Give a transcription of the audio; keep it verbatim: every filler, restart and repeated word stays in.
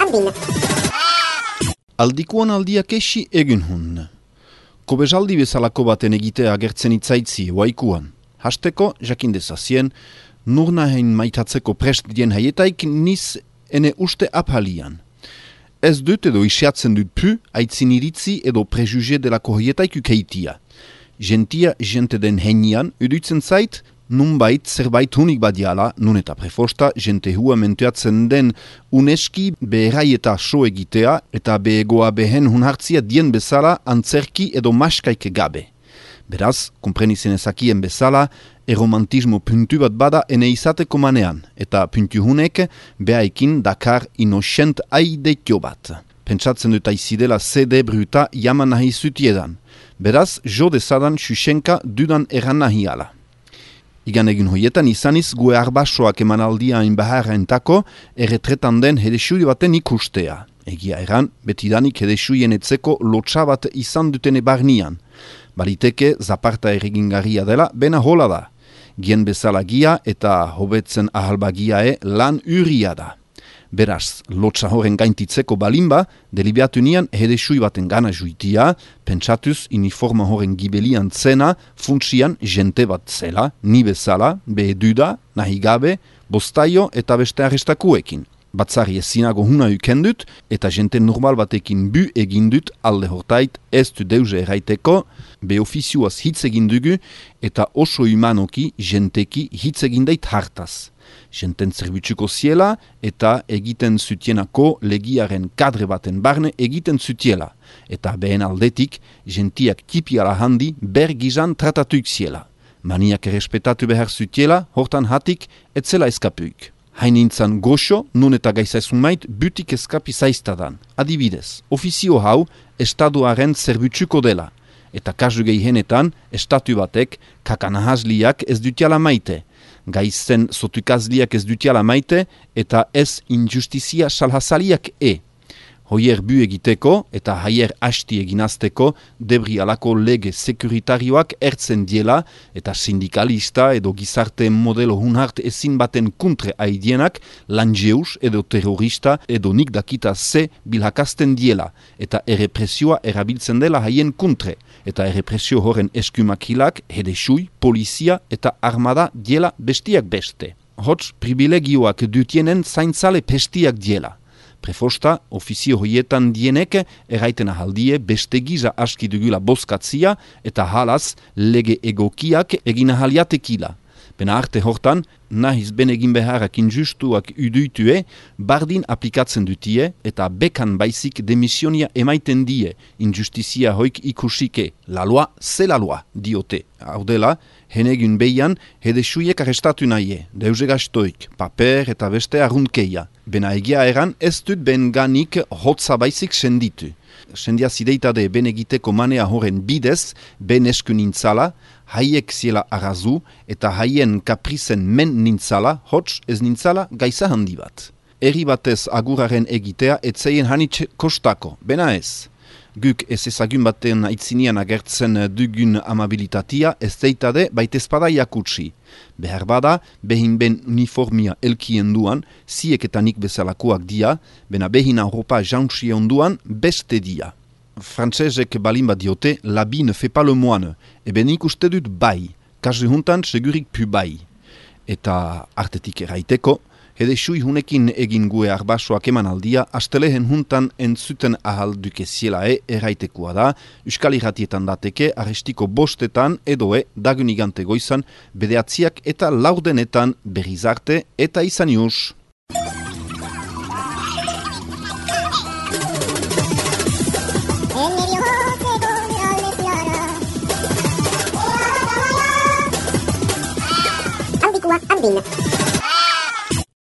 andin. Aldikuan aldiak esi egin hun. Kobesaldi bezalako baten egitea agertzen itzaitzi waikuan. Hasteko, jakin dezazien, nurnahen maitatzeko prest dien haietaik niz ene uste apalian. Ez dut edo isiatzen dut pu, aitzin iritzi edo prejuge delako haietaik ukeitia. Gentia jente den heinian, uduitzen zait, nunbait zerbait hunik badiala, nun eta prefosta, jente hua mentuatzen den uneski beherai eta so egitea, eta behegoa behen hun hartzia dien bezala antzerki edo maskaik gabe. Beraz, komprenizen ezakien bezala, eromantismo puntu bat bada ene izateko manean, eta puntu hunek behaikin dakar inosent aidetio bat. Pentsatzen dut aizidela zede bruta jaman nahi zutiedan. Beraz, jo dezadan xuxenka dudan eran nahi ala. Igan egin hoietan izaniz gue arbasoak emanaldia inbaharra entako erretretan den hedesui baten ikustea. Egia eran, betidanik hedesuien etzeko lotsa bat izan dutene barnian. Baliteke zaparta erregingarria dela, bena hola da. Gien bezala gia eta hobetzen ahalbagiae lan uria da. Beraz, lotsa horren gaintitzeko balimba, delibeatu nian hedesui baten gana juitia, pentsatuz uniforma horren gibelian zena, funtsian jente bat zela, ni bezala, beheduda, nahi gabe, bostaio eta beste arrestakuekin. Batzari ezinago huna ukendut, eta jente normal batekin bu egindut alde hortait ez du deuze erraiteko, be ofizioaz hitz egindugu, eta oso humanoki jenteki hitz egindait hartaz. Jenten zerbitzuko ziela eta egiten zutienako legiaren kadre baten barne egiten zutiela. Eta behen aldetik, jentiak tipiala handi bergizan tratatuik ziela. Maniak errespetatu behar zutiela, hortan hatik, etzela eskapuik. Hainintzan goxo, nun eta gaizazun mait, butik eskapi zaiztadan. Adibidez, ofizio hau, estaduaren zerbitzuko dela. Eta kasu gehienetan, estatu batek, kakanahazliak ez dutiala maite. Gaizen sotukazliak ez dutiala maite, eta ez injustizia salhazaliak e. Hoier bu egiteko eta haier hasti eginazteko debri alako lege sekuritarioak ertzen diela eta sindikalista edo gizarte modelo hunhart ezin baten kuntre aidienak lanjeus edo terrorista edo nik dakita ze bilhakasten diela eta errepresioa erabiltzen dela haien kuntre eta errepresio horren eskumakilak hedesui, polizia eta armada diela bestiak beste. Hots privilegioak dutienen zaintzale pestiak diela. Prefosta, ofizio hoietan dienek erraiten ahaldie beste giza aski dugula bozkatzia eta halaz lege egokiak egin ahaliatekila. Bena arte hortan, nahiz ben egin beharrak injustuak uduitue, bardin aplikatzen dutie eta bekan baizik demisionia emaiten die, injustizia hoik ikusike, la loa, ze la loa, diote. Hau dela, henegun behian, hedesuiek arrestatu nahi, deuze gastoik, paper eta beste arruntkeia. Bena egia eran, ez dut ben ganik hotza baizik senditu. Sendia zideitade ben egiteko manea horren bidez, ben esku nintzala, haiek ziela arazu eta haien kaprizen men nintzala, hots ez nintzala gaiza handi bat. Eri batez aguraren egitea etzeien hanitz kostako, bena ez. Guk ez ezagun baten aitzinian agertzen dugun amabilitatea ez deitade baitezpada jakutsi. Behar bada, behin ben uniformia elkien duan, ziek eta nik bezalakoak dia, bena behin Europa jauntsi onduan beste dia. Frantsesek balin bat diote, l'habit ne fait pas le moine. Eben nik uste dut bai, kasu juntan segurik pu bai. Eta artetik eraiteko, hedesui hunekin egin gue arbasoak eman aldia, astelehen juntan entzuten ahal dukezielae eraitekoa da, Euskal Irratietan dateke, arrestiko bostetan edoe dagunigante goizan, bedeatziak eta laurdenetan berrizarte eta izan ius. Andin.